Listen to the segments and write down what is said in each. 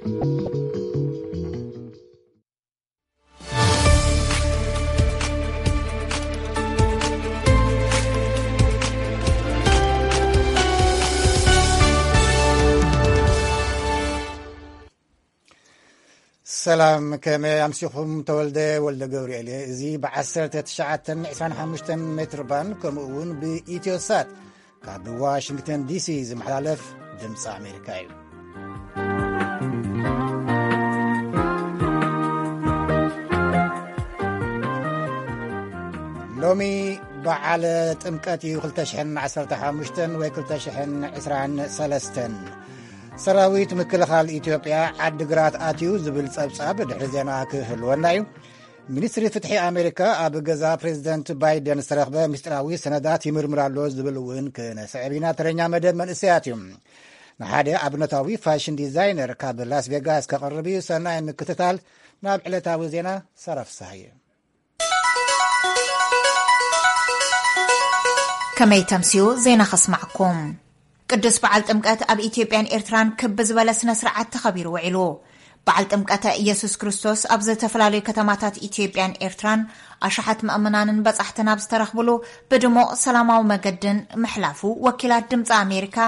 ሰላም፣ ከመይ ኣምሲኹም? ተወልደ ወልደ ገብርኤል እየ። እዚ ብ1925 ሜትር ባንድ ከምኡ እውን ብኢትዮሳት ካብ ዋሽንግተን ዲሲ ዝመሓላለፍ ድምፂ ኣሜሪካ እዩ። ሎሚ በዓል ጥምቀት እዩ። 2015 ወይ 2023። ሰራዊት ምክልኻል ኢትዮጵያ ዓዲግራት ኣትዩ ዝብል ጸብጻብ ድሕሪ ዜና ክህልወና እዩ። ሚኒስትሪ ፍትሒ ኣሜሪካ ኣብ ገዛ ፕሬዚደንት ባይደን ዝተረኽበ ምስጢራዊ ሰነዳት ይምርምር ኣሎ ዝብል እውን ክነስዕብ ኢና። ተረኛ መደብ መንእሰያት እዩ። ንሓደ ኣብነታዊ ፋሽን ዲዛይነር ካብ ላስ ቬጋስ ከቕርብ እዩ። ሰናይ ምክትታል። ናብ ዕለታዊ ዜና ሰረፍሳይ። ከመይ ተምስዩ ዜና ከስማዕኩም። ቅዱስ በዓል ጥምቀት ኣብ ኢትዮጵያን ኤርትራን ክብ ዝበለ ስነ ስርዓት ተኸቢሩ ውዒሉ። በዓል ጥምቀተ ኢየሱስ ክርስቶስ ኣብ ዝተፈላለዩ ከተማታት ኢትዮጵያን ኤርትራን ኣሽሓት ምእመናንን በጻሕትን ኣብ ዝተረኽብሉ ብድሙቕ ሰላማዊ መገድን ምሕላፉ ወኪላት ድምፂ ኣሜሪካ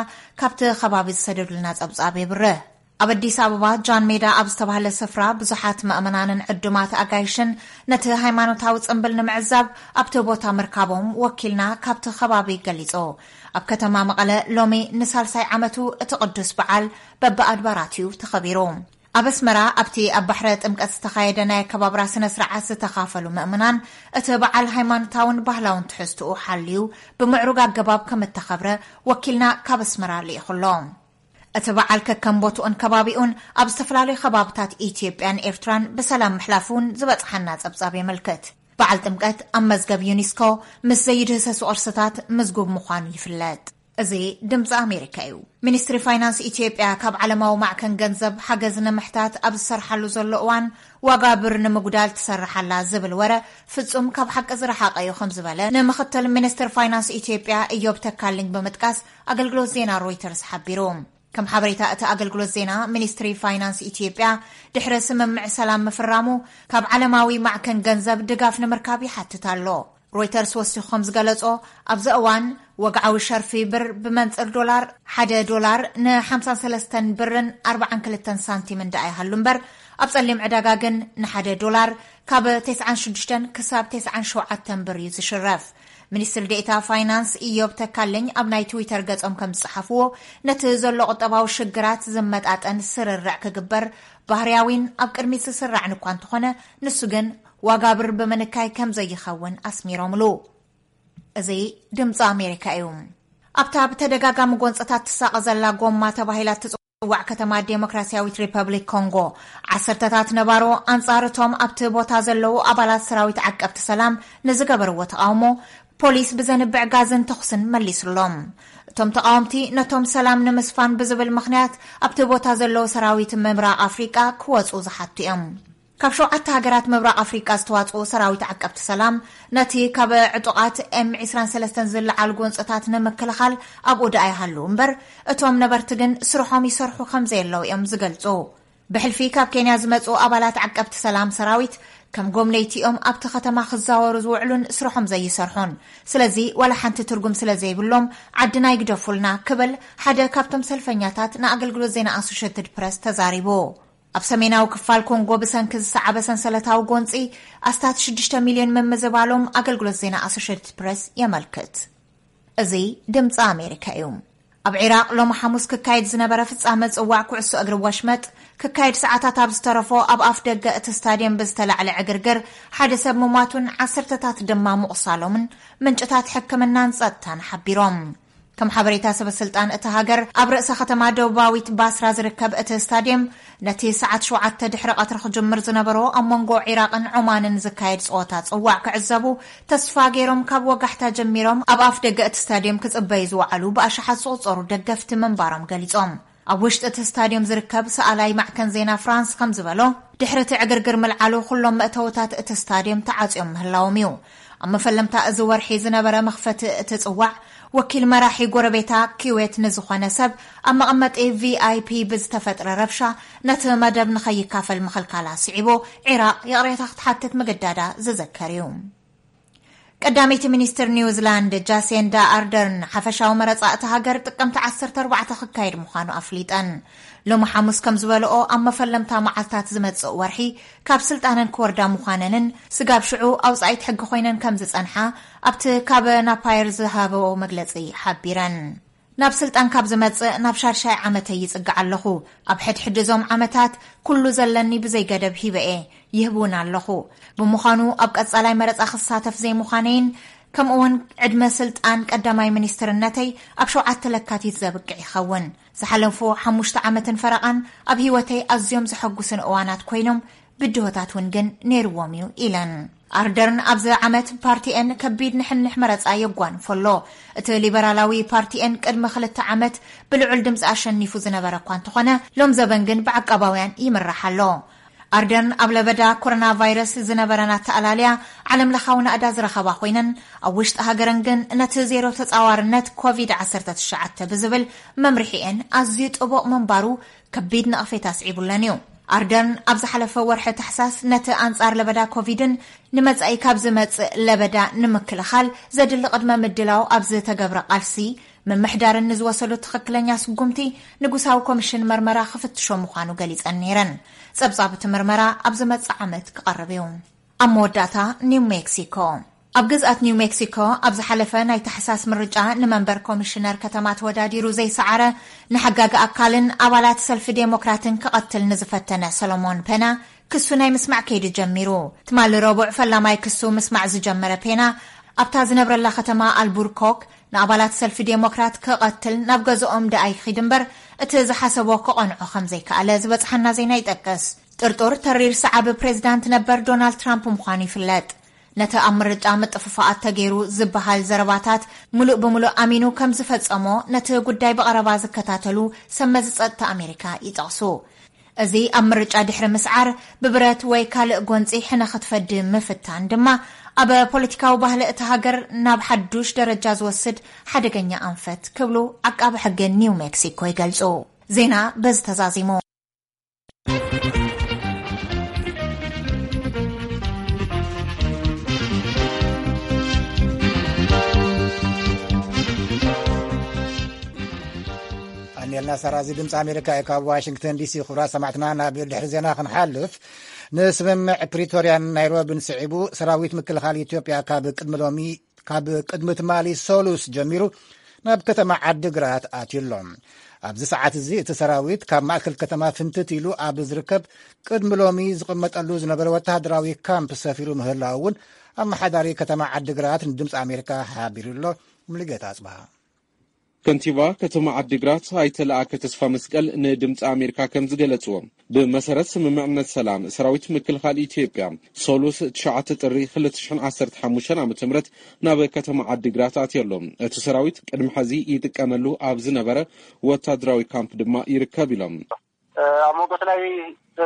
ካብቲ ከባቢ ዝሰደዱልና ጸብጻብ የብርህ። ኣብ ኣዲስ ኣበባ ጃን ሜዳ ኣብ ዝተባህለ ስፍራ ብዙሓት ምእመናንን ዕዱማት ኣጋይሽን ነቲ ሃይማኖታዊ ጽምብል ንምዕዛብ ኣብቲ ቦታ ምርካቦም ወኪልና ካብቲ ከባቢ ገሊጹ። ኣብ ከተማ መቐለ ሎሚ ንሳልሳይ ዓመቱ እቲ ቅዱስ በዓል በብኣድባራት'ዩ ተኸቢሩ። ኣብ ኣስመራ ኣብቲ ኣብ ባሕረ ጥምቀት ዝተኻየደ ናይ ኣከባብራ ስነ ስርዓት ዝተኻፈሉ ምእመናን እቲ በዓል ሃይማኖታውን ባህላውን ትሕዝትኡ ሓልዩ ብምዕሩግ ኣገባብ ከም እተኸብረ ወኪልና ካብ ኣስመራ ልኢኹ ኣሎ። እቲ በዓል ከከም ቦትኡን ከባቢኡን ኣብ ዝተፈላለዩ ከባብታት ኢትዮጵያን ኤርትራን ብሰላም ምሕላፉ እውን ዝበጽሓና ጸብጻብ የመልክት። በዓል ጥምቀት ኣብ መዝገብ ዩኒስኮ ምስ ዘይድህሰሱ ቅርስታት ምዝጉብ ምዃኑ ይፍለጥ። እዚ ድምፂ ኣሜሪካ እዩ። ሚኒስትሪ ፋይናንስ ኢትዮጵያ ካብ ዓለማዊ ማዕከን ገንዘብ ሓገዝ ንምሕታት ኣብ ዝሰርሓሉ ዘሎ እዋን ዋጋ ብር ንምጉዳል ትሰርሕ ኣላ ዝብል ወረ ፍጹም ካብ ሓቂ ዝረሓቐ እዩ ከም ዝበለ ንምኽትል ሚኒስትር ፋይናንስ ኢትዮጵያ እዮብ ተካልኝ ብምጥቃስ ኣገልግሎት ዜና ሮይተርስ ሓቢሩ። ከም ሓበሬታ እቲ ኣገልግሎት ዜና፣ ሚኒስትሪ ፋይናንስ ኢትዮጵያ ድሕሪ ስምምዕ ሰላም ምፍራሙ ካብ ዓለማዊ ማዕከን ገንዘብ ድጋፍ ንምርካብ ይሓትት ኣሎ። ሮይተርስ ወሲኹ ከም ዝገለጾ፣ ኣብዚ እዋን ወግዓዊ ሸርፊ ብር ብመንጽር ዶላር ሓደ ዶላር ን53 ብርን ኣርባዓን ክልተን ሳንቲምን ደኣ ይሃሉ እምበር፣ ኣብ ጸሊም ዕዳጋ ግን ንሓደ ዶላር ካብ 96 ክሳብ 97 ብር እዩ ዝሽረፍ። ሚኒስትር ዴኤታ ፋይናንስ ኢዮብ ተካልኝ ኣብ ናይ ትዊተር ገጾም ከም ዝጸሓፍዎ፣ ነቲ ዘሎ ቁጠባዊ ሽግራት ዝመጣጠን ስርርዕ ክግበር ባህርያዊን ኣብ ቅድሚት ዝስራዕን እኳ እንተኾነ፣ ንሱ ግን ዋጋ ብር ብምንካይ ከም ዘይኸውን ኣስሚሮምሉ። እዚ ድምፂ ኣሜሪካ እዩ። ኣብታ ብተደጋጋሚ ጎንፅታት ትሳቐ ዘላ ጎማ ተባሂላ ትፅዋዕ ከተማ ዴሞክራሲያዊት ሪፐብሊክ ኮንጎ፣ ዓሰርተታት ነባሮ ኣንፃር እቶም ኣብቲ ቦታ ዘለዉ ኣባላት ሰራዊት ዓቀብቲ ሰላም ንዝገበርዎ ተቓውሞ ፖሊስ ብዘንብዕ ጋዝን ተኹስን መሊሱሎም። እቶም ተቓወምቲ ነቶም ሰላም ንምስፋን ብዝብል ምኽንያት ኣብቲ ቦታ ዘለዉ ሰራዊት ምብራቕ ኣፍሪቃ ክወፁ ዝሓቱ እዮም። ካብ ሸውዓተ ሃገራት ምብራቕ ኣፍሪቃ ዝተዋፅኡ ሰራዊት ዓቀብቲ ሰላም ነቲ ካብ ዕጡቓት ኤም23 ዝለዓል ጎንፅታት ንምክልኻል ኣብኡ ደኣ ይሃሉ እምበር፣ እቶም ነበርቲ ግን ስርሖም ይሰርሑ ከም ዘየለዉ እዮም ዝገልፁ። ብሕልፊ ካብ ኬንያ ዝመፁ ኣባላት ዓቀብቲ ሰላም ሰራዊት ከም ጎብነይቲ እዮም ኣብቲ ከተማ ክዛወሩ ዝውዕሉን ስርሖም ዘይሰርሑን። ስለዚ ዋላ ሓንቲ ትርጉም ስለ ዘይብሎም ዓድና ይግደፉልና ክብል ሓደ ካብቶም ሰልፈኛታት ንኣገልግሎት ዜና ኣሶሼትድ ፕረስ ተዛሪቡ። ኣብ ሰሜናዊ ክፋል ኮንጎ ብሰንኪ ዝሰዓበ ሰንሰለታዊ ጎንፂ ኣስታት ሽዱሽተ ሚልዮን ምምዝባሎም ኣገልግሎት ዜና ኣሶሼትድ ፕረስ የመልክት። እዚ ድምፂ ኣሜሪካ እዩ። ኣብ ዒራቕ ሎሚ ሓሙስ ክካየድ ዝነበረ ፍጻመ ጽዋዕ ኩዕሶ እግሪ ወሽመጥ ክካየድ ሰዓታት ኣብ ዝተረፎ ኣብ ኣፍ ደገ እቲ ስታድየም ብዝተላዕለ ዕግርግር ሓደ ሰብ ምሟቱን ዓሰርተታት ድማ ምቑሳሎምን ምንጭታት ሕክምናን ጸጥታን ሓቢሮም። ከም ሓበሬታ ሰበ ስልጣን እቲ ሃገር ኣብ ርእሰ ከተማ ደቡባዊት ባስራ ዝርከብ እቲ ስታድየም ነቲ ሰዓት ሸውዓተ ድሕሪ ቀትሪ ክጅምር ዝነበሮ ኣብ መንጎ ዒራቕን ዖማንን ዝካየድ ጸወታ ጽዋዕ ክዕዘቡ ተስፋ ገይሮም ካብ ወጋሕታ ጀሚሮም ኣብ ኣፍ ደገ እቲ ስታድየም ክጽበዩ ዝወዓሉ ብኣሽሓት ዝቑጸሩ ደገፍቲ ምንባሮም ገሊጾም። ኣብ ውሽጢ እቲ ስታድዮም ዝርከብ ሰኣላይ ማዕከን ዜና ፍራንስ ከም ዝበሎ፣ ድሕሪ እቲ ዕግርግር ምልዓሉ ኩሎም መእተውታት እቲ ስታድዮም ተዓጽዮም ምህላዎም እዩ። ኣብ መፈለምታ እዚ ወርሒ ዝነበረ መኽፈቲ እቲ ጽዋዕ ወኪል መራሒ ጎረቤታ ኪዌት ንዝኾነ ሰብ ኣብ መቐመጢ ቪኣይፒ ብዝተፈጥረ ረብሻ ነቲ መደብ ንኸይካፈል ምኽልካላ ስዒቡ፣ ዒራቕ ይቕሬታ ክትሓትት ምግዳዳ ዝዝከር እዩ። ቀዳመይቲ ሚኒስትር ኒውዚላንድ ጃሲንዳ ኣርደርን ሓፈሻዊ መረጻ እታ ሃገር ጥቅምቲ ዓሰርተ ኣርባዕተ ክካየድ ምዃኑ ኣፍሊጠን። ሎሚ ሓሙስ ከም ዝበልኦ፣ ኣብ መፈለምታ መዓልታት ዝመጽእ ወርሒ ካብ ስልጣነን ክወርዳ ምዃነንን ስጋብ ሽዑ ኣውጻኢት ሕጊ ኮይነን ከም ዝጸንሓ ኣብቲ ካብ ናፓየር ዝሃበኦ መግለጺ ሓቢረን። ናብ ስልጣን ካብ ዝመጽእ ናብ ሻድሻይ ዓመተይ ይጽጋዕ ኣለኹ። ኣብ ሕድሕድ እዞም ዓመታት ኩሉ ዘለኒ ብዘይ ገደብ ሂበ እየ፣ ይህብ እውን ኣለኹ። ብምዃኑ ኣብ ቀጻላይ መረጻ ክሳተፍ ዘይምዃነይን ከምኡውን ዕድመ ስልጣን ቀዳማይ ሚኒስትርነተይ ኣብ ሸውዓተ ለካቲት ዘብቅዕ ይኸውን። ዝሓለፉ ሓሙሽተ ዓመትን ፈረቓን ኣብ ህይወተይ ኣዝዮም ዘሐጉስን እዋናት ኮይኖም፣ ብድሆታት እውን ግን ነይርዎም እዩ ኢለን። ኣርደርን ኣብዚ ዓመት ፓርቲኤን ከቢድ ንሕንሕ መረጻ የጓንፎ ኣሎ። እቲ ሊበራላዊ ፓርቲኤን ቅድሚ ክልተ ዓመት ብልዑል ድምፂ ኣሸኒፉ ዝነበረ እኳ እንተኾነ፣ ሎም ዘበን ግን ብዓቃባውያን ይምራሕ ኣሎ። ኣርደርን ኣብ ለበዳ ኮሮና ቫይረስ ዝነበረን ኣተኣላልያ ዓለም ለኻዊ ናእዳ ዝረኸባ ኮይነን፣ ኣብ ውሽጢ ሃገረን ግን ነቲ ዜሮ ተጻዋርነት ኮቪድ ዓሰርተ ትሽዓተ ብዝብል መምርሒኤን ኣዝዩ ጥቡቕ ምንባሩ ከቢድ ነቕፌታ ኣስዒቡለን እዩ። ኣርደርን ኣብ ዝሓለፈ ወርሒ ታሕሳስ ነቲ ኣንጻር ለበዳ ኮቪድን ንመጻኢ ካብ ዝመጽእ ለበዳ ንምክልኻል ዘድሊ ቅድመ ምድላው ኣብ ዝተገብረ ቃልሲ፣ ምምሕዳርን ንዝወሰዶ ትኽክለኛ ስጉምቲ ንጉሳዊ ኮሚሽን መርመራ ክፍትሾ ምዃኑ ገሊጸን ነይረን። ጸብጻብ እቲ ምርመራ ኣብ ዝመጽእ ዓመት ክቐርብ እዩ። ኣብ መወዳእታ፣ ኒው ሜክሲኮ። ኣብ ግዝኣት ኒው ሜክሲኮ ኣብ ዝሓለፈ ናይ ታሕሳስ ምርጫ ንመንበር ኮሚሽነር ከተማ ተወዳዲሩ ዘይሰዓረ፣ ንሓጋጊ ኣካልን ኣባላት ሰልፊ ዴሞክራትን ክቐትል ንዝፈተነ ሰሎሞን ፔና ክሱ ናይ ምስማዕ ከይዱ ጀሚሩ። ትማሊ ረቡዕ ፈላማይ ክሱ ምስማዕ ዝጀመረ ፔና፣ ኣብታ ዝነብረላ ከተማ ኣልቡርኮክ ንኣባላት ሰልፊ ዴሞክራት ክቐትል ናብ ገዝኦም ደኣ ይኺድ እምበር፣ እቲ ዝሓሰቦ ክቐንዖ ከም ዘይከኣለ ዝበጽሓና ዜና ይጠቅስ። ጥርጡር ተሪር ሰዓቢ ፕሬዚዳንት ነበር ዶናልድ ትራምፕ ምዃኑ ይፍለጥ። ነቲ ኣብ ምርጫ ምጥፍፋኣት ተገይሩ ዝበሃል ዘረባታት ምሉእ ብምሉእ ኣሚኑ ከም ዝፈጸሞ ነቲ ጉዳይ ብቐረባ ዝከታተሉ ሰብ መዚ ጸጥታ ኣሜሪካ ይጠቕሱ። እዚ ኣብ ምርጫ ድሕሪ ምስዓር ብብረት ወይ ካልእ ጎንጺ ሕነ ክትፈዲ ምፍታን ድማ ኣብ ፖለቲካዊ ባህሊ እታ ሃገር ናብ ሓዱሽ ደረጃ ዝወስድ ሓደገኛ ኣንፈት ክብሉ ዓቃቢ ሕጊ ኒው ሜክሲኮ ይገልጹ። ዜና በዚ ተዛዚሙ። ኣንየልና ሰራ፣ እዚ ድምፂ ኣሜሪካ እዩ። ካብ ዋሽንግተን ዲሲ። ክቡራት ሰማዕትና፣ ናብ ድሕሪ ዜና ክንሓልፍ፣ ንስምምዕ ፕሪቶርያን ናይሮቢን ስዒቡ ሰራዊት ምክልኻል ኢትዮጵያ ካብ ቅድሚ ሎሚ ካብ ቅድሚ ትማሊ ሰሉስ ጀሚሩ ናብ ከተማ ዓዲግራት ኣትዩ ኣሎ። ኣብዚ ሰዓት እዚ እቲ ሰራዊት ካብ ማእከል ከተማ ፍንትት ኢሉ ኣብ ዝርከብ ቅድሚ ሎሚ ዝቕመጠሉ ዝነበረ ወተሃደራዊ ካምፕ ሰፊሩ ምህላው እውን ኣመሓዳሪ ከተማ ዓዲግራት ንድምፂ ኣሜሪካ ሓቢሩ ኣሎ። ሙሉጌታ ኣጽብሃ። ከንቲባ ከተማ ዓዲግራት ኣይተ ለኣከ ተስፋ መስቀል ንድምፂ ኣሜሪካ ከም ዝገለፅዎ፣ ብመሰረት ስምምዕነት ሰላም፣ ሰራዊት ምክልኻል ኢትዮጵያ ሰሉስ ትሽዓተ ጥሪ ክልተ ሽሕን ዓሰርተ ሓሙሽተን ዓመተ ምህረት ናብ ከተማ ዓዲግራት ኣትዮ ኣሎ። እቲ ሰራዊት ቅድሚ ሕዚ ይጥቀመሉ ኣብ ዝነበረ ወታደራዊ ካምፕ ድማ ይርከብ ኢሎም። ኣብ መንጎ ናይ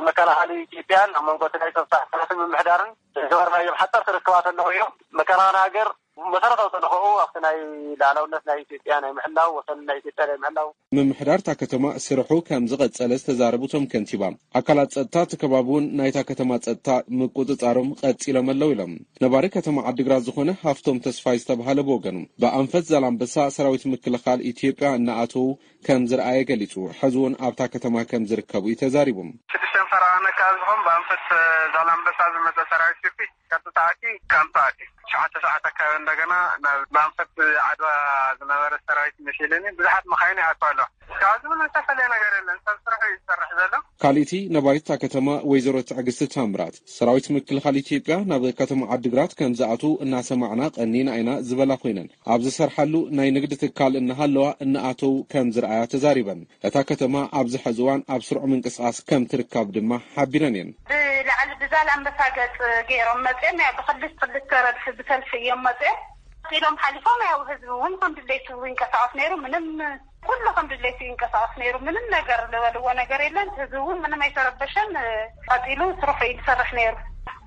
መከላኸሊ ኢትዮጵያን ኣብ መንጎ ናይ ጸጥታ ኣካላትን ምምሕዳርን ዝገበርናዮም ሓጸርቲ ርክባት ኣለዉ እዮም። መከላኸሊ ሃገር መሰረታዊ ተልእኾኡ ኣብቲ ናይ ልኣላውነት ናይ ኢትዮጵያ ናይ ምሕላው፣ ወሰን ናይ ኢትዮጵያ ናይ ምሕላው። ምምሕዳር እታ ከተማ ስርሑ ከም ዝቐጸለ ዝተዛረቡ እቶም ከንቲባ፣ ኣካላት ጸጥታ እቲ ከባቢ እውን ናይታ ከተማ ጸጥታ ምቁጽጻሮም ቀጺሎም ኣለዉ ኢሎም። ነባሪ ከተማ ዓዲግራት ዝኾነ ሃፍቶም ተስፋይ ዝተባሃለ ብወገኑ፣ ብኣንፈት ዛላምበሳ ሰራዊት ምክልኻል ኢትዮጵያ እናኣተዉ ከም ዝረኣየ ገሊጹ። ሕዚ እውን ኣብታ ከተማ ከም ዝርከቡ እዩ ተዛሪቡ። ሽዱሽተ ፈረቓ ነካ ዝኾን ብኣንፈት ዛላምበሳ ዝመጸ ሰራዊት ኢትዮጵያ ቀጥታ ኣትዩ ካምፕ ኣትዩ። ትሽዓተ ሰዓት ኣካባቢ እንደገና ናብ ብኣንፈት ዓድዋ ዝነበረ ሰራዊት መሲሉኒ ብዙሓት መኻይን ይኣትዋ ኣለዋ። እስካብ ሕዚ ምንም ዝተፈለየ ነገር የለን። ሰብ ስርሑ እዩ ዝሰርሕ ዘሎ። ካልእቲ ነባሪት እታ ከተማ ወይዘሮ ትዕግስቲ ታምራት፣ ሰራዊት ምክልኻል ኢትዮጵያ ናብ ከተማ ዓዲግራት ከም ዝኣትዉ እናሰማዕና ቀኒና ኢና ዝበላ ኮይነን፣ ኣብ ዝሰርሓሉ ናይ ንግዲ ትካል እናሃለዋ እናኣተዉ ከም ዝረኣያ ተዛሪበን። እታ ከተማ ኣብዚ ሕዚ እዋን ኣብ ስሩዕ ምንቅስቓስ ከም ትርከብ ድማ ሓቢረን እየን። ብላዕሊ ብዛላምበሳ ገጽ ገይሮም መጽኦም፣ ያው ብክልተ ክልተ ረድፊ ብሰልፊ እዮም መጽኦም። ኢሎም ሓሊፎም፣ ያው ህዝቢ እውን ከም ድሌቱ ይንቀሳቐስ ነይሩ። ምንም፣ ኩሉ ከም ድሌቱ ይንቀሳቐስ ነይሩ። ምንም ነገር ዝበልዎ ነገር የለን። ህዝቢ እውን ምንም ኣይተረበሸን። ቀጺሉ ስርሑ እዩ ዝሰርሕ ነይሩ።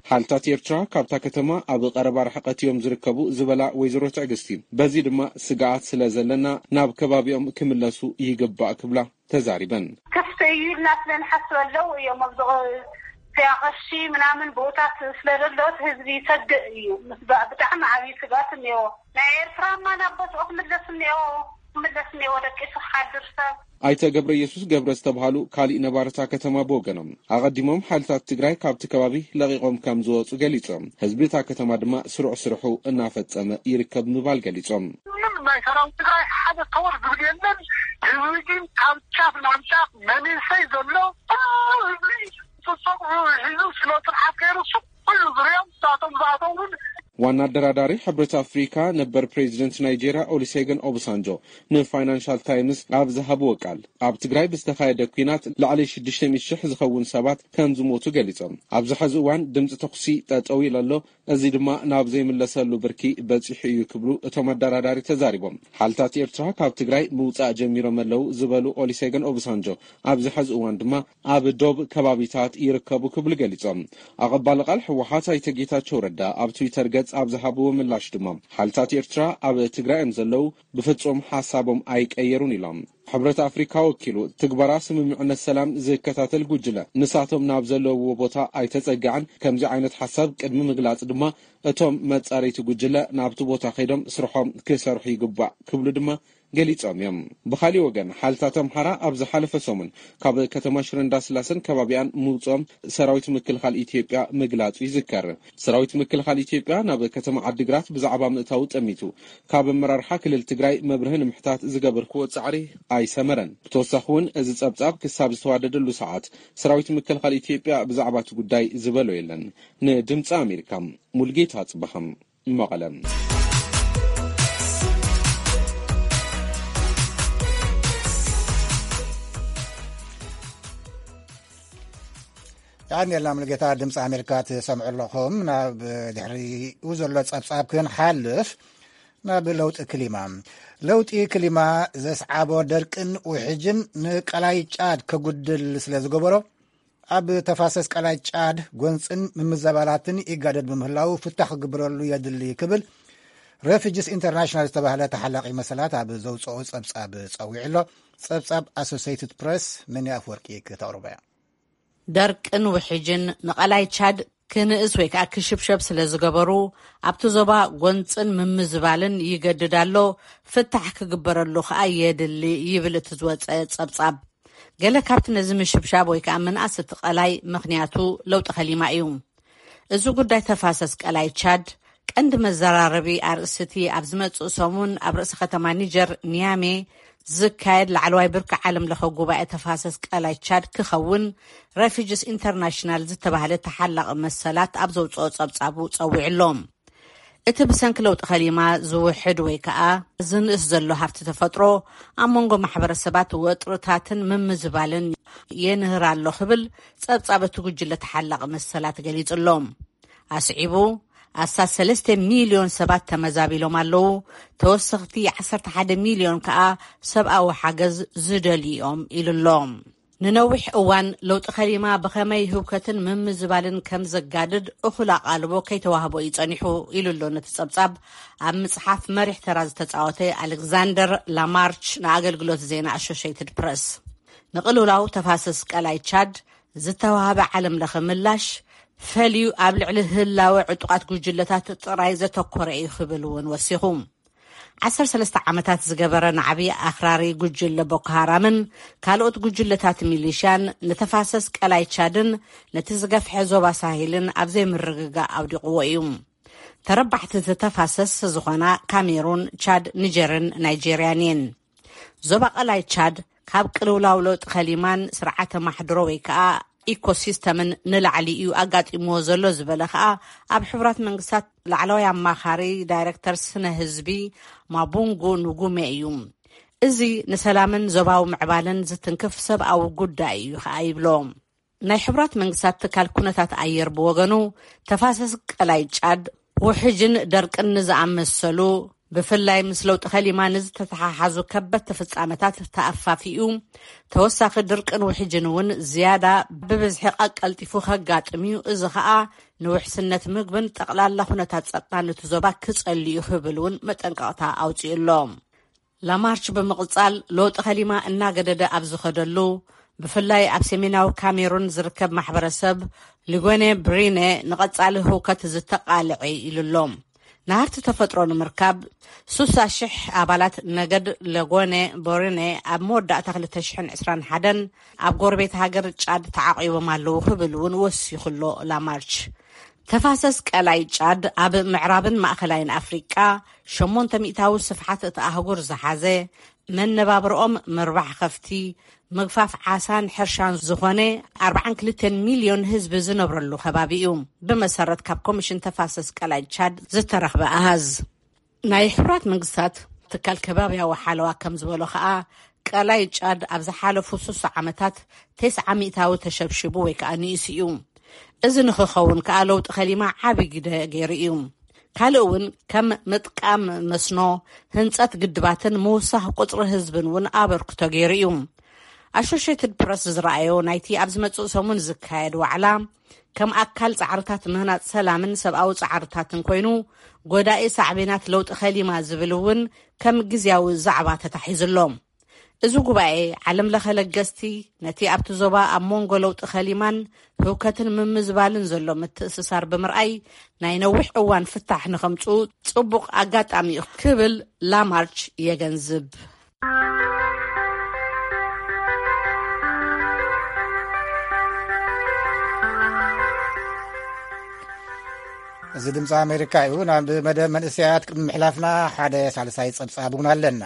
ሓልታት ኤርትራ ካብታ ከተማ ኣብ ቀረባ ርሕቀት እዮም ዝርከቡ ዝበላ ወይዘሮ ትዕግስቲ፣ በዚ ድማ ስግኣት ስለ ዘለና ናብ ከባቢኦም ክምለሱ ይግባእ ክብላ ተዛሪበን። ክፍተ እዩ ኢልና ስለ ንሓስብ ኣለዉ እዮም ኣብዚ ኸ-፣ እዚኣ ቐሺ ምናምን ቦታት ስለ ዘለዎት ህዝቢ ይሰግእ እዩ። ምስ ባ-፣ ብጣዕሚ ዓብዪ ስግኣት እኒኦ። ናይ ኤርትራማ ናብ ቦትኡ ክምለስ እኒኦ፣ ክምለስ እኒኦ፣ ደቂሱ ክሓድር ሰብ። ኣይተ ገብረ ኢየሱስ ገብረ ዝተብሃሉ ካሊእ ነባርታ ከተማ ብወገኖም፣ ኣቐዲሞም ሓይልታት ትግራይ ካብቲ ከባቢ ለቒቖም ከም ዝወፁ ገሊጾም፣ ህዝቢ እታ ከተማ ድማ ስሩዕ ስርሑ እናፈጸመ ይርከብ ምባል ገሊጾም። ምንም ናይ ሰራዊት ትግራይ ሓደ ተወር ዝብል የለን። ህዝቢ ግን ካብ ጫፍ ናብ ጫፍ መንእሰይ ዘሎ ኩሉ ህዝቢ ጽጹቕ ሒዙ ስለ ስርሓት ገይሩ ሱቕ ኢሉ ዝሪኦም፣ ንሳቶም ዝኣተው እውን ዋና ኣደራዳሪ ሕብረት ኣፍሪካ ነበር ፕሬዚደንት ናይጄርያ ኦሉሴገን ኦባሳንጆ ንፋይናንሻል ታይምስ ኣብ ዝሃብዎ ቃል፣ ኣብ ትግራይ ብዝተኻየደ ኲናት ልዕሊ ሽዱሽተ ሚእቲ ሽሕ ዝኸውን ሰባት ከም ዝሞቱ ገሊጾም፣ ኣብዚ ሕዚ እዋን ድምፂ ተኹሲ ጠጠው ኢሉ ኣሎ፣ እዚ ድማ ናብ ዘይምለሰሉ ብርኪ በፂሑ እዩ ክብሉ እቶም ኣደራዳሪ ተዛሪቦም። ሓይልታት ኤርትራ ካብ ትግራይ ምውፃእ ጀሚሮም ኣለዉ ዝበሉ ኦሉሴገን ኦባሳንጆ፣ ኣብዚ ሕዚ እዋን ድማ ኣብ ዶብ ከባቢታት ይርከቡ ክብሉ ገሊጾም። ኣቐባሊ ቃል ህወሓት ኣይተ ጌታቸው ረዳ ኣብ ትዊተር ገጽ ኣብ ዝሃብዎ ምላሽ ድማ፣ ሓይልታት ኤርትራ ኣብ ትግራይ እዮም ዘለዉ፣ ብፍጹም ሓሳቦም ኣይቀየሩን ኢሎም። ሕብረት ኣፍሪካ ወኪሉ ትግበራ ስምምዕነት ሰላም ዝከታተል ጉጅለ፣ ንሳቶም ናብ ዘለውዎ ቦታ ኣይተጸግዐን፣ ከምዚ ዓይነት ሓሳብ ቅድሚ ምግላጽ ድማ እቶም መጻረይቲ ጉጅለ ናብቲ ቦታ ከይዶም ስርሖም ክሰርሑ ይግባእ ክብሉ ድማ ገሊጾም እዮም። ብኻሊእ ወገን፣ ሓይልታት ኣምሓራ ኣብ ዝሓለፈ ሰሙን ካብ ከተማ ሽረ እንዳስላሰን ከባቢኣን ምውጽኦም ሰራዊት ምክልኻል ኢትዮጵያ ምግላጹ ይዝከር። ሰራዊት ምክልኻል ኢትዮጵያ ናብ ከተማ ዓዲግራት ብዛዕባ ምእታው ጠሚቱ ካብ ኣመራርሓ ክልል ትግራይ መብርሂ ንምሕታት ዝገበርክዎ ጻዕሪ ኣይሰመረን። ብተወሳኺ እውን፣ እዚ ጸብጻብ ክሳብ ዝተዋደደሉ ሰዓት ሰራዊት ምክልኻል ኢትዮጵያ ብዛዕባ እቲ ጉዳይ ዝበሎ የለን። ንድምፂ ኣሜሪካ፣ ሙልጌታ ጽበሃም፣ መቐለ። የቐንየልና ሙሉጌታ፣ ድምፂ ኣሜሪካ ትሰምዑ ኣለኹም። ናብ ድሕሪኡ ዘሎ ጸብጻብ ክንሓልፍ፣ ናብ ለውጢ ክሊማ። ለውጢ ክሊማ ዘስዓቦ ደርቅን ውሕጅን ንቀላይ ጫድ ከጉድል ስለ ዝገበሮ፣ ኣብ ተፋሰስ ቀላይ ጫድ ጎንፅን ምምዘባላትን ይጋደድ ብምህላው ፍታሕ ክግበረሉ የድሊ ክብል ሬፊጅስ ኢንተርናሽናል ዝተባህለ ተሓላቒ መሰላት ኣብ ዘውፅኦ ጸብጻብ ጸዊዑ ኣሎ። ጸብጻብ ኣሶሲየትድ ፕሬስ መኒ ኣፍወርቂ ክተቕርቦ እያ። ደርቅን ውሕጅን ንቐላይ ቻድ ክንእስ ወይ ከዓ ክሽብሸብ ስለ ዝገበሩ፣ ኣብቲ ዞባ ጎንፅን ምምዝባልን ይገድድ ኣሎ፣ ፍታሕ ክግበረሉ ከዓ የድሊ ይብል እቲ ዝወፀ ጸብጻብ። ገለ ካብቲ ነዚ ምሽብሻብ ወይ ከዓ ምንኣስ እቲ ቀላይ ምኽንያቱ ለውጢ ከሊማ እዩ። እዚ ጉዳይ ተፋሰስ ቀላይ ቻድ ቀንዲ መዘራረቢ ኣርእስቲ ኣብ ዝመጽእ ሰሙን ኣብ ርእሲ ከተማ ኒጀር ኒያሜ ዝካየድ ላዕለዋይ ብርኪ ዓለም ለኸ ጉባኤ ተፋሰስ ቀላይ ቻድ ክኸውን ሬፊጅስ ኢንተርናሽናል ዝተባህለ ተሓላቒ መሰላት ኣብ ዘውፅኦ ጸብጻቡ ጸዊዑ ኣሎ። እቲ ብሰንኪ ለውጢ ከሊማ ዝውሕድ ወይ ከዓ ዝንእስ ዘሎ ሃፍቲ ተፈጥሮ ኣብ መንጎ ማሕበረሰባት ወጥርታትን ምምዝባልን የንህር ኣሎ ክብል ጸብጻብ እቲ ጉጅለ ተሓላቒ መሰላት ገሊጹ ኣሎ። ኣስዒቡ፣ ኣስታት ሰለስተ ሚልዮን ሰባት ተመዛቢሎም ኣለዉ፣ ተወሰኽቲ ዓሰርተ ሓደ ሚልዮን ከኣ ሰብኣዊ ሓገዝ ዝደልዩ እዮም ኢሉ ኣሎ። ንነዊሕ እዋን ለውጢ ከሊማ ብኸመይ ህውከትን ምምዝባልን ከም ዘጋድድ እኹል ኣቓልቦ ከይተዋህቦ እዩ ጸኒሑ ኢሉ ኣሎ ነቲ ጸብጻብ ኣብ ምጽሓፍ መሪሕ ተራ ዝተጻወተ ኣሌክዛንደር ላማርች ንኣገልግሎት ዜና ኣሶሽየትድ ፕረስ። ንቕልውላው ተፋሰስ ቀላይ ቻድ ዝተዋህበ ዓለም ለኸ ምላሽ ፈልዩ ኣብ ልዕሊ ህላወ ዕጡቓት ጉጅለታት ጥራይ ዘተኮረ እዩ ክብል እውን ወሲኹ። ዓሰርተ ሰለስተ ዓመታት ዝገበረ ናዕቢ ኣኽራሪ ጉጅለ ቦኮ ሃራምን ካልኦት ጉጅለታት ሚሊሽያን ንተፋሰስ ቀላይ ቻድን ነቲ ዝገፍሐ ዞባ ሳሄልን ኣብ ዘይምርግጋእ ኣውዲቕዎ እዩ። ተረባሕቲ እቲ ተፋሰስ ዝኾና ካሜሩን፣ ቻድ፣ ኒጀርን ናይጄርያን እየን። ዞባ ቀላይ ቻድ ካብ ቅልውላው ለውጢ ከሊማን ስርዓተ ማሕድሮ ወይ ከዓ ኢኮሲስተምን ንላዕሊ እዩ ኣጋጢምዎ ዘሎ ዝበለ ከዓ ኣብ ሕቡራት መንግስታት ላዕለዋይ ኣማኻሪ ዳይሬክተር ስነ ህዝቢ ማቡንጉ ንጉሜ እዩ። እዚ ንሰላምን ዞባዊ ምዕባለን ዝትንክፍ ሰብኣዊ ጉዳይ እዩ ከዓ ይብሎ። ናይ ሕቡራት መንግስታት ትካል ኩነታት ኣየር ብወገኑ ተፋሰስ ቀላይ ጫድ ውሕጅን ደርቅን ንዝኣመሰሉ ብፍላይ ምስ ለውጢ ከሊማ ንዝተተሓሓዙ ከበድቲ ፍጻመታት ተኣፋፊኡ። ተወሳኺ ድርቅን ውሕጅን እውን ዝያዳ ብብዝሒ ቀልጢፉ ከጋጥም እዩ። እዚ ኸኣ ንውሕስነት ምግብን ጠቕላላ ኩነታት ጸጥታን እቲ ዞባ ክጸሊ እዩ ክብል እውን መጠንቀቕታ ኣውጺኡ ኣሎ። ላማርች ብምቕጻል ለውጢ ከሊማ እናገደደ ኣብ ዝኸደሉ፣ ብፍላይ ኣብ ሰሜናዊ ካሜሩን ዝርከብ ማሕበረሰብ ሊጎኔ ብሪኔ ንቐጻሊ ህውከት ዝተቓልዐ ኢሉ ኣሎ። ናህርቲ ተፈጥሮ ንምርካብ ሱሳ ሽሕ ኣባላት ነገድ ለጎኔ ቦሪኔ ኣብ መወዳእታ ክልተ ሽሕን ዕስራን ሓደን ኣብ ጎረቤት ሃገር ጫድ ተዓቒቦም ኣለዉ ክብል እውን ወሲኹ ኣሎ ላማርች። ተፋሰስ ቀላይ ጫድ ኣብ ምዕራብን ማእኸላይን ኣፍሪቃ ሸሞንተ ሚእታዊ ስፍሓት እቲ ኣህጉር ዝሓዘ፣ መነባብርኦም ምርባሕ ከፍቲ፣ ምግፋፍ ዓሳን ሕርሻን ዝኾነ ኣርባዓን ክልተን ሚልዮን ህዝቢ ዝነብረሉ ከባቢ እዩ። ብመሰረት ካብ ኮሚሽን ተፋሰስ ቀላይ ቻድ ዝተረኽበ ኣሃዝ፣ ናይ ሕቡራት መንግስታት ትካል ከባብያዊ ሓለዋ ከም ዝበሎ ኸኣ፣ ቀላይ ጫድ ኣብ ዝሓለፉ ሱሳ ዓመታት ተስዓ ሚእታዊ ተሸብሺቡ ወይ ከኣ ንኢሱ እዩ። እዚ ንኽኸውን ከኣ ለውጢ ከሊማ ዓቢ ግደ ገይሩ እዩ። ካልእ እውን ከም ምጥቃም መስኖ፣ ህንጸት ግድባትን ምውሳኽ ቁጽሪ ህዝብን እውን ኣበርክቶ ገይሩ እዩ። ኣሶሽየትድ ፕረስ ዝረኣዮ ናይቲ ኣብ ዝመጽእ ሰሙን ዝካየድ ዋዕላ፣ ከም ኣካል ጻዕርታት ምህናጽ ሰላምን ሰብኣዊ ጻዕርታትን ኮይኑ፣ ጎዳኢ ሳዕቤናት ለውጢ ከሊማ ዝብል እውን ከም ግዝያዊ ዛዕባ ተታሒዙ ኣሎ። እዚ ጉባኤ፣ ዓለም ለኸ ለገስቲ ነቲ ኣብቲ ዞባ ኣብ መንጎ ለውጢ ከሊማን ህውከትን ምምዝባልን ዘሎ ምትእስሳር ብምርኣይ፣ ናይ ነዊሕ እዋን ፍታሕ ንኸምጽኡ ጽቡቕ ኣጋጣሚ እዩ ክብል ላማርች የገንዝብ። እዚ ድምፂ ኣሜሪካ እዩ። ናብ መደብ መንእሰያት ቅድሚ ምሕላፍና፣ ሓደ ሳልሳይ ፀብፃብ እውን ኣለና።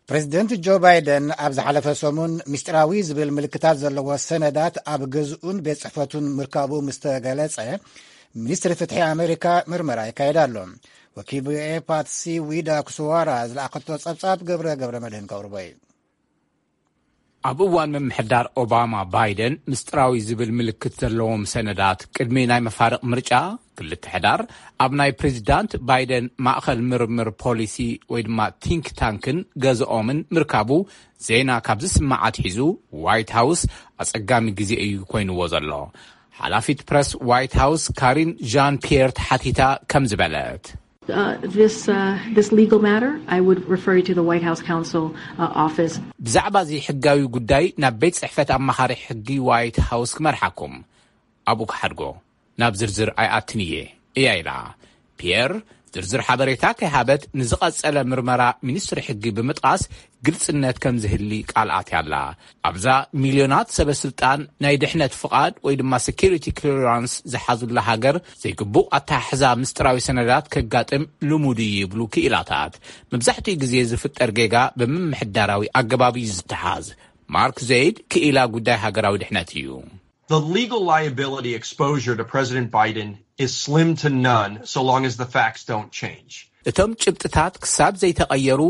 ፕሬዚደንት ጆ ባይደን ኣብ ዝሓለፈ ሰሙን ምስጢራዊ ዝብል ምልክታት ዘለዎ ሰነዳት ኣብ ገዝኡን ቤት ጽሕፈቱን ምርካቡ ምስ ተገለጸ፣ ሚኒስትሪ ፍትሒ ኣሜሪካ ምርመራ ይካየድ ኣሎ። ወኪል ቪኦኤ ፓትሲ ዊዳ ኩስዋራ ዝለኣኸቶ ጸብጻብ ገብረ ገብረ መድህን ከቕርቦ እዩ። ኣብ እዋን ምምሕዳር ኦባማ፣ ባይደን ምስጢራዊ ዝብል ምልክት ዘለዎም ሰነዳት ቅድሚ ናይ መፋርቕ ምርጫ ክልተ ሕዳር ኣብ ናይ ፕሬዚዳንት ባይደን ማእኸል ምርምር ፖሊሲ ወይ ድማ ቲንክ ታንክን ገዝኦምን ምርካቡ ዜና ካብ ዝስማዕ ኣትሒዙ፣ ዋይት ሃውስ ኣጸጋሚ ግዜ እዩ ኮይንዎ ዘሎ። ሓላፊት ፕረስ ዋይት ሃውስ ካሪን ዣን ፒየር ተሓቲታ ከም ዝበለት፣ Uh, this, uh, this legal matter, I would refer you to the White House counsel, uh, office. ብዛዕባ እዚ ሕጋዊ ጉዳይ ናብ ቤት ጽሕፈት ኣማኻሪ ሕጊ ዋይት ሃውስ ክመርሓኩም፣ ኣብኡ ክሓድጎ፣ ናብ ዝርዝር ኣይኣትን እየ፣ እያ ኢላ። ፒየር ዝርዝር ሓበሬታ ከይሃበት፣ ንዝቐጸለ ምርመራ ሚኒስትሪ ሕጊ ብምጥቓስ፣ ግልጽነት ከም ዝህሊ ቃል ኣትያ ኣላ። ኣብዛ፣ ሚልዮናት ሰበ ስልጣን ናይ ድሕነት ፍቓድ ወይ ድማ ሴኩሪቲ ክሊራንስ ዝሓዙላ ሃገር፣ ዘይግቡእ ኣተሓሕዛ ምስጢራዊ ሰነዳት ከጋጥም ልሙድ እዩ ይብሉ ክኢላታት። መብዛሕትኡ ግዜ ዝፍጠር ጌጋ ብምምሕዳራዊ ኣገባብ እዩ ዝተሓዝ። ማርክ ዘይድ ክኢላ ጉዳይ ሃገራዊ ድሕነት እዩ። The legal liability exposure to President Biden is slim to none so long as the facts don't change. እቶም ጭብጥታት ክሳብ ዘይተቐየሩ፣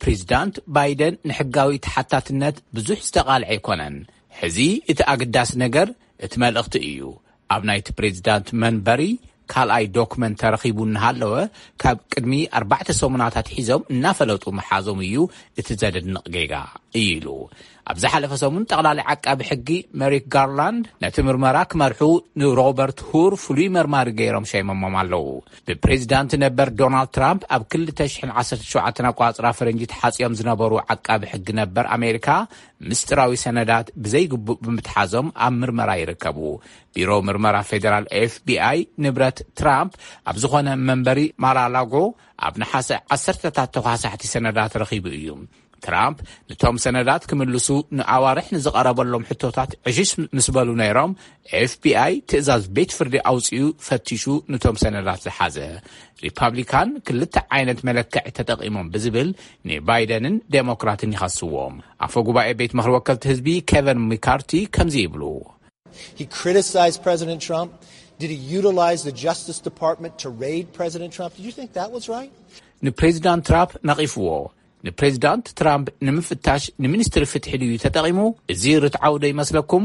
ፕሬዚዳንት ባይደን ንሕጋዊ ተሓታትነት ብዙሕ ዝተቓልዐ ኣይኮነን። ሕዚ እቲ ኣገዳሲ ነገር እቲ መልእኽቲ እዩ። ኣብ ናይቲ ፕሬዚዳንት መንበሪ ካልኣይ ዶክመንት ተረኺቡ እናሃለወ፣ ካብ ቅድሚ ኣርባዕተ ሰሙናት ኣትሒዞም እናፈለጡ ምሓዞም እዩ እቲ ዘደንቕ ጌጋ፣ እዩ ኢሉ። ኣብ ዝሓለፈ ሰሙን፣ ጠቕላሊ ዓቃቢ ሕጊ መሪክ ጋርላንድ ነቲ ምርመራ ክመርሑ ንሮበርት ሁር ፍሉይ መርማሪ ገይሮም ሸይሞሞም ኣለዉ። ብፕሬዚዳንት ነበር ዶናልድ ትራምፕ ኣብ ክልተ ሽሕን ዓሰርተ ሸውዓተን ኣቆጻጽራ ፈረንጂ ተሓጽዮም ዝነበሩ ዓቃቢ ሕጊ ነበር ኣሜሪካ፣ ምስጢራዊ ሰነዳት ብዘይግቡእ ብምትሓዞም ኣብ ምርመራ ይርከቡ። ቢሮ ምርመራ ፌደራል ኤፍ ቢ ኣይ ንብረት ትራምፕ ኣብ ዝኾነ መንበሪ ማራላጎ ኣብ ነሓሰ ዓሰርተታት ተኳሳሕቲ ሰነዳት ረኺቡ እዩ። ትራምፕ ንቶም ሰነዳት ክምልሱ ንኣዋርሕ ንዝቐረበሎም ሕቶታት ዕሽሽ ምስ በሉ ነይሮም፣ ኤፍ ቢ ኣይ ትእዛዝ ቤት ፍርዲ ኣውጺኡ ፈቲሹ ንቶም ሰነዳት ዝሓዘ። ሪፓብሊካን ክልተ ዓይነት መለክዒ ተጠቒሞም ብዝብል ንባይደንን ዴሞክራትን ይኸስዎም። ኣፈ ጉባኤ ቤት ምኽሪ ወከልቲ ህዝቢ ኬቨን ሚካርቲ ከምዚ ይብሉ። He criticized President Trump. Did he utilize the Justice Department to raid President Trump? Did you think that was right? ንፕሬዚዳንት ትራምፕ ነቒፍዎ። ንፕሬዚዳንት ትራምፕ ንምፍታሽ ንሚኒስትሪ ፍትሒ ድዩ ተጠቒሙ? እዚ ርትዓዊ ዶ ይመስለኩም?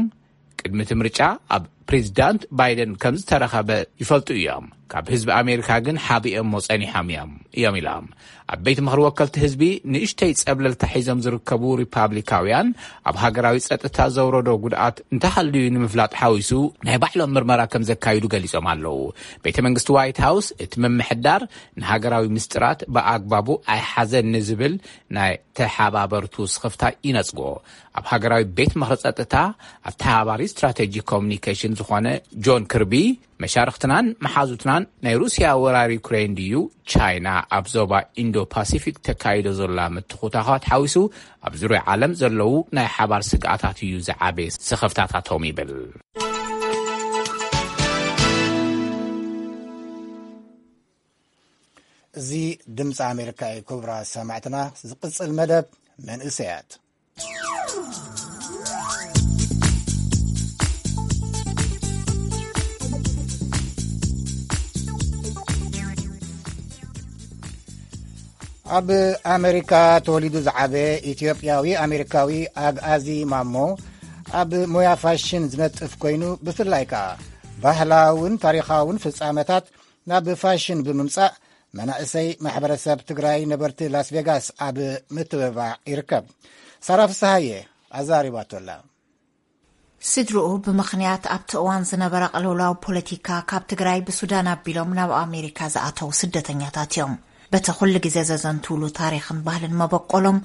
ቅድሚ እቲ ምርጫ ኣብ ፕሬዚዳንት ባይደን ከም ዝተረኸበ ይፈልጡ እዮም። ካብ ህዝቢ ኣሜሪካ ግን ሓቢኦሞ ጸኒሖም እዮም እዮም ኢሎም። ኣብ ቤት ምኽሪ ወከልቲ ህዝቢ ንእሽተይ ጸብለልታ ሒዞም ዝርከቡ ሪፓብሊካውያን ኣብ ሃገራዊ ጸጥታ ዘውረዶ ጉድኣት እንተሃልዩ ንምፍላጥ ሓዊሱ ናይ ባዕሎም ምርመራ ከም ዘካይዱ ገሊጾም ኣለዉ። ቤተ መንግስቲ ዋይት ሃውስ እቲ ምምሕዳር ንሃገራዊ ምስጢራት ብኣግባቡ ኣይሓዘን ንዝብል ናይ ተሓባበርቱ ስኽፍታ ይነጽጎ። ኣብ ሃገራዊ ቤት ምኽሪ ጸጥታ ኣተሓባባሪ ስትራቴጂ ኮሚኒኬሽን ዝኾነ ጆን ክርቢ፣ መሻርኽትናን መሓዙትናን ናይ ሩስያ ወራር ዩክሬን ድዩ ቻይና ኣብ ዞባ ኢንዶ ፓሲፊክ ተካይዶ ዘላ ምትኹታኻት ሓዊሱ ኣብ ዙርያ ዓለም ዘለዉ ናይ ሓባር ስግኣታት እዩ ዝዓበየ ስኽፍታታቶም ይብል። እዚ ድምፂ ኣሜሪካ እዩ። ክቡራት ሰማዕትና፣ ዝቕፅል መደብ መንእሰያት። ኣብ ኣሜሪካ ተወሊዱ ዝዓበየ ኢትዮጵያዊ ኣሜሪካዊ ኣግኣዚ ማሞ፣ ኣብ ሞያ ፋሽን ዝነጥፍ ኮይኑ፣ ብፍላይ ከኣ ባህላውን ታሪኻውን ፍጻመታት ናብ ፋሽን ብምምጻእ መናእሰይ ማሕበረሰብ ትግራይ ነበርቲ ላስ ቬጋስ ኣብ ምትብባዕ ይርከብ። ሳራ ፍስሃየ ኣዛሪባቶላ። ስድርኡ ብምኽንያት ኣብቲ እዋን ዝነበረ ቅልውላው ፖለቲካ ካብ ትግራይ ብሱዳን ኣቢሎም ናብ ኣሜሪካ ዝኣተዉ ስደተኛታት እዮም። በቲ ኩሉ ግዜ ዘዘንትውሉ ታሪኽን ባህልን መበቆሎም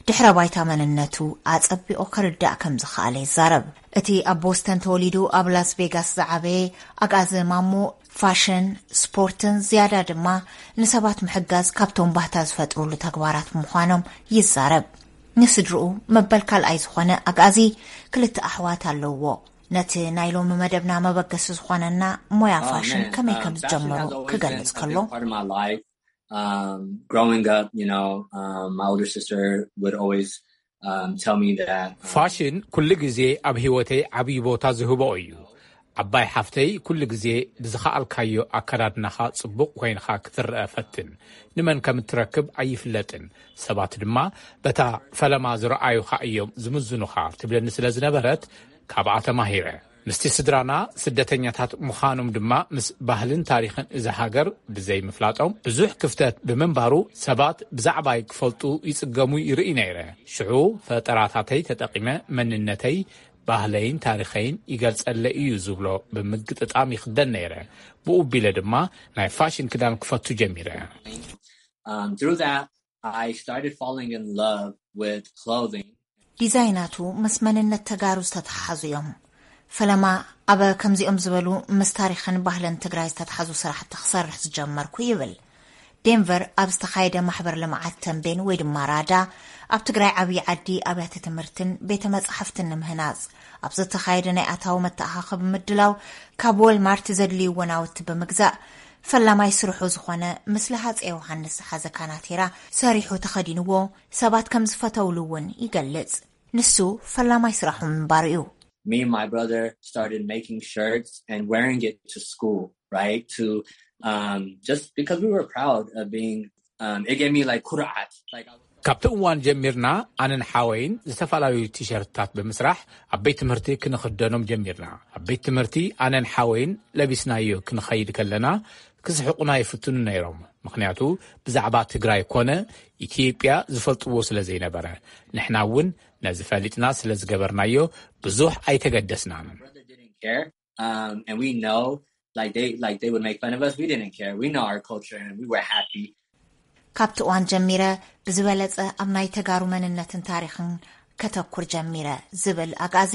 ድሕረ ባይታ መንነቱ ኣጸቢቑ ክርዳእ ከም ዝኸኣለ ይዛረብ። እቲ ኣብ ቦስተን ተወሊዱ ኣብ ላስ ቬጋስ ዝዓበየ ኣግኣዚ ማሞ ፋሽን፣ ስፖርትን ዝያዳ ድማ ንሰባት ምሕጋዝ ካብቶም ባህታ ዝፈጥሩሉ ተግባራት ምዃኖም ይዛረብ። ንስድርኡ መበል ካልኣይ ዝኾነ ኣግኣዚ ክልተ ኣሕዋት ኣለውዎ። ነቲ ናይ ሎሚ መደብና መበገሲ ዝኾነና ሞያ ፋሽን ከመይ ከም ዝጀመሩ ክገልጽ ከሎ፣ um, growing up, you know, um, my older sister would always um, tell me that. Um, ፋሽን ኩሉ ግዜ ኣብ ህይወተይ ዓብዪ ቦታ ዝህቦ እዩ። ዓባይ ሓፍተይ ኩሉ ግዜ ብዝኸኣልካዮ ኣከዳድናኻ ጽቡቕ ኮይንኻ ክትረአ ፈትን። ንመን ከም እትረክብ ኣይፍለጥን። ሰባት ድማ በታ ፈለማ ዝረኣዩኻ እዮም ዝምዝኑኻ ትብለኒ ስለ ዝነበረት ካብኣ ተማሂረ። ምስቲ ስድራና ስደተኛታት ምዃኖም ድማ ምስ ባህልን ታሪኽን እዛ ሃገር ብዘይ ምፍላጦም ብዙሕ ክፍተት ብምንባሩ ሰባት ብዛዕባይ ክፈልጡ ይጽገሙ ይርኢ ነይረ። ሽዑ ፈጠራታተይ ተጠቒመ መንነተይ፣ ባህለይን ታሪኸይን ይገልጸለይ እዩ ዝብሎ ብምግጥጣም ይኽደን ነይረ። ብኡ ቢለ ድማ ናይ ፋሽን ክዳን ክፈቱ ጀሚረ። Um, through that, I started falling in love with clothing. ዲዛይናቱ ምስ መንነት ተጋሩ ዝተተሓሓዙ እዮም። ፈለማ ኣብ ከምዚኦም ዝበሉ ምስ ታሪኽን ባህልን ትግራይ ዝተተሓዙ ስራሕቲ ክሰርሕ ዝጀመርኩ ይብል። ዴንቨር ኣብ ዝተኻየደ ማሕበር ልምዓት ተንቤን ወይ ድማ ራዳ ኣብ ትግራይ ዓብዪ ዓዲ ኣብያተ ትምህርትን ቤተ መጻሕፍትን ንምህናጽ ኣብ ዝተኻየደ ናይ ኣታዊ መተኣኻኸቢ ምድላው ካብ ወልማርት ዘድልይዎ ናውቲ ብምግዛእ ፈላማይ ስርሑ ዝኾነ ምስሊ ሃፀይ ዮሃንስ ዝሓዘ ካናቴራ ሰሪሑ ተኸዲንዎ ሰባት ከም ዝፈተውሉ እውን ይገልጽ። ንሱ ፈላማይ ስራሑ ምንባሩ እዩ። Me and my brother started making shirts and wearing it to school, right? To um, just because we were proud of being, um, it gave me like ኩርዓት. Like, I was ካብቲ እዋን ጀሚርና ኣነን ሓወይን ዝተፈላለዩ ቲሸርትታት ብምስራሕ ኣብ ቤት ትምህርቲ ክንኽደኖም ጀሚርና። ኣብ ቤት ትምህርቲ ኣነን ሓወይን ለቢስናዮ ክንኸይድ ከለና ክስሕቑና ይፍትኑ ነይሮም። ምኽንያቱ ብዛዕባ ትግራይ ኮነ ኢትዮጵያ ዝፈልጥዎ ስለ ዘይነበረ። ንሕና እውን ነዚ ፈሊጥና ስለ ዝገበርናዮ ብዙሕ ኣይተገደስናን። care. Um, and we know, like they, like they would make fun of us. We didn't care. We know our culture, and we were happy. ካብቲ እዋን ጀሚረ ብዝበለጸ ኣብ ናይ ተጋሩ መንነትን ታሪኽን ከተኩር ጀሚረ ዝብል ኣግኣዚ፣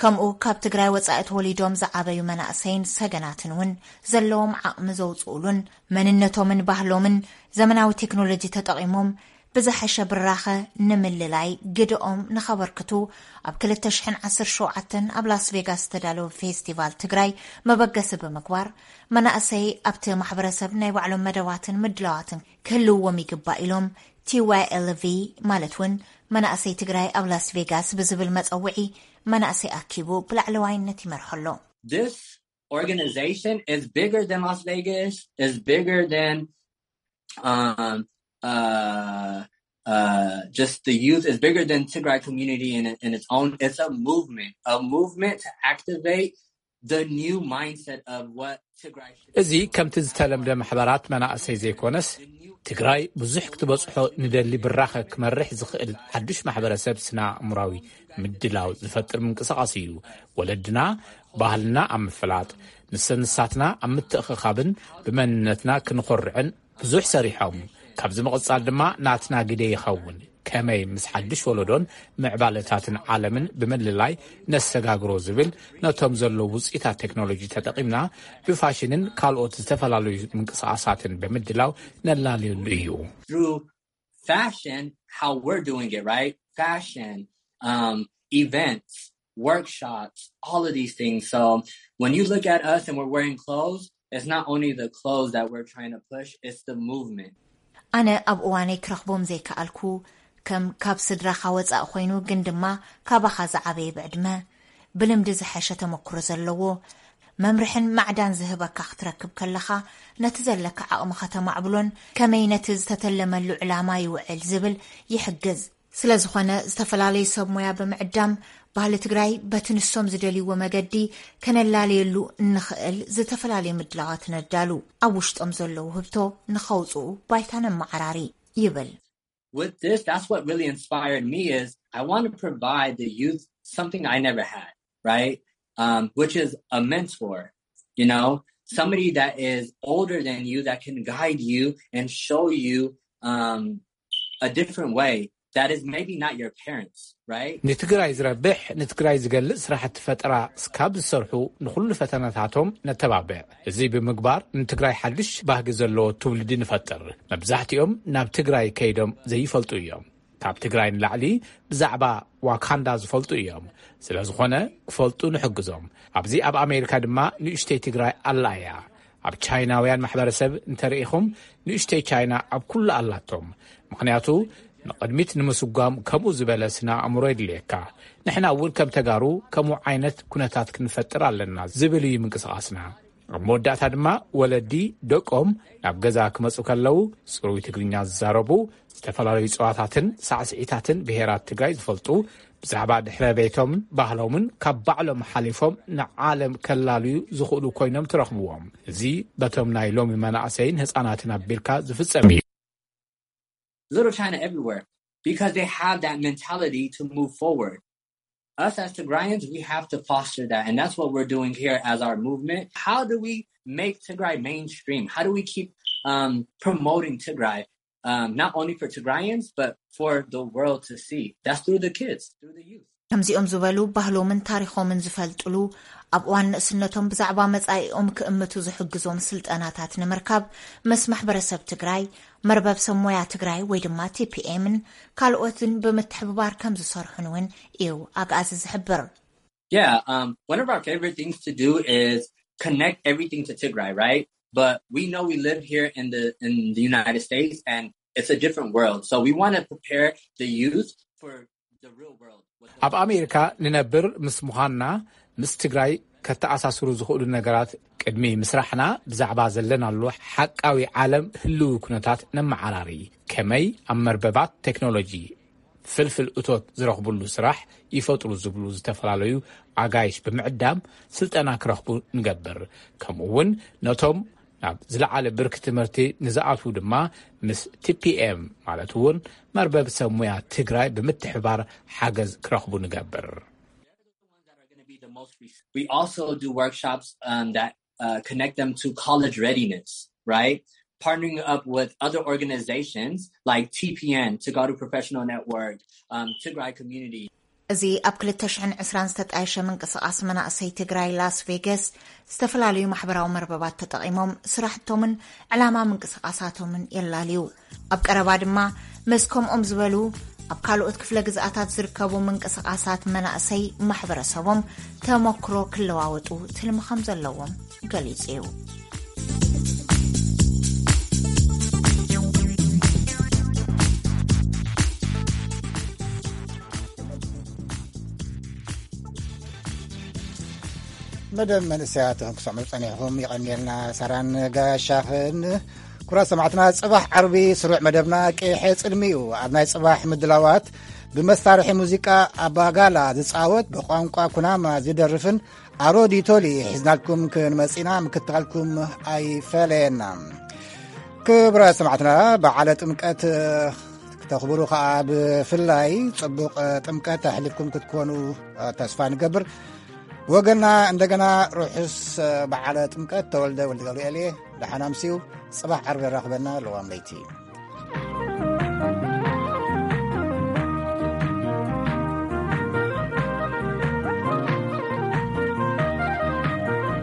ከምኡ ካብ ትግራይ ወጻኢ ተወሊዶም ዝዓበዩ መናእሰይን ሰገናትን እውን ዘለዎም ዓቕሚ ዘውፅኡሉን መንነቶምን ባህሎምን ዘመናዊ ቴክኖሎጂ ተጠቒሞም ብዝሐሸ ብራኸ ንምልላይ ግደኦም ንኸበርክቱ ኣብ ክልተ ሽሕን ዓሰርተ ሸውዓተን ኣብ ላስ ቬጋስ ዝተዳለወ ፌስቲቫል ትግራይ መበገሲ ብምግባር መናእሰይ ኣብቲ ማሕበረሰብ ናይ ባዕሎም መደባትን ምድላዋትን ክህልውዎም ይግባእ ኢሎም ቲ ዋይ ኤል ቪ ማለት እውን መናእሰይ ትግራይ ኣብ ላስ ቬጋስ ብዝብል መፀውዒ መናእሰይ ኣኪቡ ብላዕለዋይነት ይመርሖ ኣሎ። This organization is bigger than Las Vegas, is bigger than um, uh, uh, just the youth, is bigger than Tigray community in, in its own. It's a movement, a movement to activate the new mindset of what Tigray should እዚ ከምቲ ዝተለምደ ማሕበራት መናእሰይ ዘይኮነስ፣ ትግራይ ብዙሕ ክትበጽሖ ንደሊ ብራኸ ክመርሕ ዝኽእል ሓዱሽ ማሕበረሰብ ስነ ኣእምራዊ ምድላው ዝፈጥር ምንቅስቓስ እዩ። ወለድና ባህልና ኣብ ምፍላጥ፣ ንሰንሳትና ኣብ ምትእኽኻብን ብመንነትና ክንኾርዕን ብዙሕ ሰሪሖም። ካብዚ ምቕጻል ድማ ናትና ግደ ይኸውን። ከመይ ምስ ሓድሽ ወለዶን ምዕባለታትን ዓለምን ብምልላይ ነሰጋግሮ ዝብል፣ ነቶም ዘለዉ ውፅኢታት ቴክኖሎጂ ተጠቒምና ብፋሽንን ካልኦት ዝተፈላለዩ ምንቅስቓሳትን ብምድላው ነላልየሉ እዩ። through fashion, how we're doing it, right? Fashion, um, events, workshops, all of these things. So when you look at us and we're wearing clothes, it's not only the clothes that we're trying to push, it's the movement. ኣነ ኣብ እዋነይ ክረኽቦም ዘይከኣልኩ፣ ከም ካብ ስድራኻ ወጻእ ኮይኑ ግን ድማ ካባኻ ዝዓበየ ብዕድመ፣ ብልምዲ ዝሐሸ ተመክሮ ዘለዎ፣ መምርሕን ማዕዳን ዝህበካ ክትረክብ ከለኻ፣ ነቲ ዘለካ ዓቕሚ ከተማዕብሎን ከመይ ነቲ ዝተተለመሉ ዕላማ ይውዕል ዝብል ይሕግዝ። ስለ ዝኾነ ዝተፈላለዩ ሰብ ሞያ ብምዕዳም፣ ባህሊ ትግራይ በቲ ንሶም ዝደልይዎ መገዲ ከነላለየሉ እንኽእል ዝተፈላለዩ ምድላዋት ነዳሉ። ኣብ ውሽጦም ዘለዉ ህብቶ ንኸውፅኡ ባይታ ነመዓራሪ ይብል። With this, that's what really inspired me is I want to provide the youth something I never had, right? Um, which is a mentor, you know, somebody that is older than you that can guide you and show you um, a different way that is maybe not your parents, right? ንትግራይ ዝረብሕ ንትግራይ ዝገልጽ ስራሕቲ ፈጠራ እስካብ ዝሰርሑ ንኹሉ ፈተናታቶም ነተባብዕ። እዚ ብምግባር ንትግራይ ሓድሽ ባህጊ ዘለዎ ትውልዲ ንፈጥር። መብዛሕትኦም ናብ ትግራይ ከይዶም ዘይፈልጡ እዮም። ካብ ትግራይ ንላዕሊ ብዛዕባ ዋካንዳ ዝፈልጡ እዮም። ስለ ዝኾነ ክፈልጡ ንሕግዞም። ኣብዚ ኣብ ኣሜሪካ ድማ ንእሽተይ ትግራይ ኣላ እያ። ኣብ ቻይናውያን ማሕበረሰብ እንተርኢኹም ንእሽተይ ቻይና ኣብ ኩሉ ኣላቶም። ምኽንያቱ ንቕድሚት ንምስጓም ከምኡ ዝበለ ስነ ኣእምሮ የድልየካ። ንሕና እውን ከም ተጋሩ ከምኡ ዓይነት ኩነታት ክንፈጥር ኣለና ዝብል እዩ ምንቅስቓስና። ኣብ መወዳእታ ድማ ወለዲ ደቆም ናብ ገዛ ክመፁ ከለዉ ፅሩይ ትግርኛ ዝዛረቡ፣ ዝተፈላለዩ ፀዋታትን ሳዕስዒታትን ብሄራት ትግራይ ዝፈልጡ፣ ብዛዕባ ድሕረ ቤቶምን ባህሎምን ካብ ባዕሎም ሓሊፎም ንዓለም ከላልዩ ዝኽእሉ ኮይኖም ትረኽብዎም። እዚ በቶም ናይ ሎሚ መናእሰይን ህፃናትን ኣቢልካ ዝፍፀም እዩ። Little China everywhere because they have that mentality to move forward. Us as Tigrayans, we have to foster that. And that's what we're doing here as our movement. How do we make Tigray mainstream? How do we keep um, promoting Tigray, um, not only for Tigrayans, but for the world to see? That's through the kids, through the youth. ከምዚኦም ዝበሉ ባህሎምን ታሪኾምን ዝፈልጥሉ፣ ኣብ እዋን ንእስነቶም ብዛዕባ መጻኢኦም ክእምቱ ዝሕግዞም ስልጠናታት ንምርካብ ምስ ማሕበረሰብ ትግራይ፣ መርበብ ሰብ ሞያ ትግራይ ወይ ድማ ቲ ፒ ኤምን ካልኦትን ብምትሕብባር ከም ዝሰርሑን እውን እዩ ኣግኣዚ ዝሕብር። Yeah, um, one of our favorite things to do is connect everything to Tigray, right? But we know we live here in the in the United States, and it's a different world. So we want to prepare the youth for the real world. ኣብ ኣሜሪካ ንነብር ምስ ምዃንና፣ ምስ ትግራይ ከተኣሳስሩ ዝኽእሉ ነገራት ቅድሚ ምስራሕና፣ ብዛዕባ ዘለናሉ ሓቃዊ ዓለም ህልዊ ኩነታት ነመዓራሪ። ከመይ ኣብ መርበባት ቴክኖሎጂ ፍልፍል እቶት ዝረኽብሉ ስራሕ ይፈጥሩ ዝብሉ ዝተፈላለዩ ኣጋይሽ ብምዕዳም ስልጠና ክረኽቡ ንገብር። ከምኡ እውን ነቶም ናብ ዝለዓለ ብርኪ ትምህርቲ ንዝኣትዉ ድማ ምስ ቲ ፒ ኤም ማለት እውን መርበብ ሰብ ሙያ ትግራይ ብምትሕባር ሓገዝ ክረኽቡ ንገብር። We also do workshops um, that uh, connect them to college readiness, right? Partnering up with other organizations like T P N, Tagadu Professional Network, um, Tigray Community. እዚ ኣብ ክልተ ሽሕን ዕስራን ዝተጣየሸ ምንቅስቓስ መናእሰይ ትግራይ ላስ ቬገስ፣ ዝተፈላለዩ ማሕበራዊ መርበባት ተጠቒሞም ስራሕቶምን ዕላማ ምንቅስቓሳቶምን የላልዩ። ኣብ ቀረባ ድማ ምስ ከምኦም ዝበሉ ኣብ ካልኦት ክፍለ ግዝኣታት ዝርከቡ ምንቅስቓሳት መናእሰይ ማሕበረሰቦም ተመክሮ ክለዋወጡ ትልሚ ከም ዘለዎም ገሊጹ እዩ። መደብ መንእሰያት ክሰምዑ ጸኒሕኹም ይቐንየልና። ሳራን ጋሻኽን ኩራ ሰማዕትና፣ ጽባሕ ዓርቢ ስሩዕ መደብና ቀይሐ ጽልሚ እዩ። ኣብ ናይ ጽባሕ ምድላዋት ብመሳርሒ ሙዚቃ ኣባጋላ ዝጻወት፣ ብቋንቋ ኩናማ ዝደርፍን ኣሮዲቶሊ ሒዝናልኩም ክንመጽእና ምክታልኩም ኣይፈለየና። ክብረ ሰማዕትና፣ በዓለ ጥምቀት ክተኽብሩ ከኣ ብፍላይ ጽቡቕ ጥምቀት ኣሕሊፍኩም ክትኮኑ ተስፋ ንገብር። ወገና እንደገና ርሑስ በዓለ ጥምቀት። ተወልደ ወልደ ገብርኤል እየ። ደሓን ኣምስዩ። ጽባሕ ዓርቢ የራኽበና። ለዋም ለይቲ።